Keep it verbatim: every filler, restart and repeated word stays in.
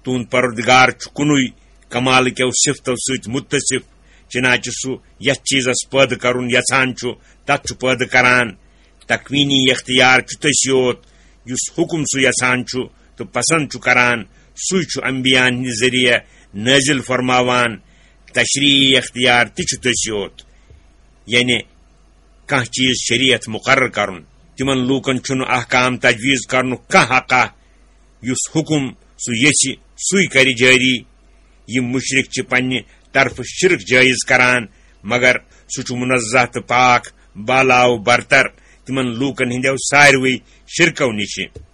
تُہُنٛد پروردگار چھُ کُنُے کمال کیو صفتو سۭتۍ متصف، چنانچہ سُہ یتھ چیزس پٲدٕ کرُن یژھان چھُ، تتھ چھُ پٲدٕ کران۔ تکوینی اختیار چھُ تٔسی یوت، یُس حکم سُہ یژھان چھُ تہٕ پسند چھُ کران، سُے چھُ انبیاءن ہٕنٛدِ ذٔریعہٕ نٲزِل فرماوان۔ تشریعی اختیار تہِ چھُ تٔسی یوت، یعنی کانٛہہ چیز شریعت مقرر کرُن۔ تِمن لوٗکن چھُنہٕ احکام تجویز کرنُک کانٛہہ حقا، یُس حکم سُہ یژھِ، سُے کرِ جٲری۔ یِم مشرک چھِ پننہِ طرفہٕ شرک جٲیز کران، مگر سُہ چھُ منزہ تہٕ پاک، بالا و برتر تِمن لوٗکن ہٕنٛدیو ساروٕے شرکو نِشہِ۔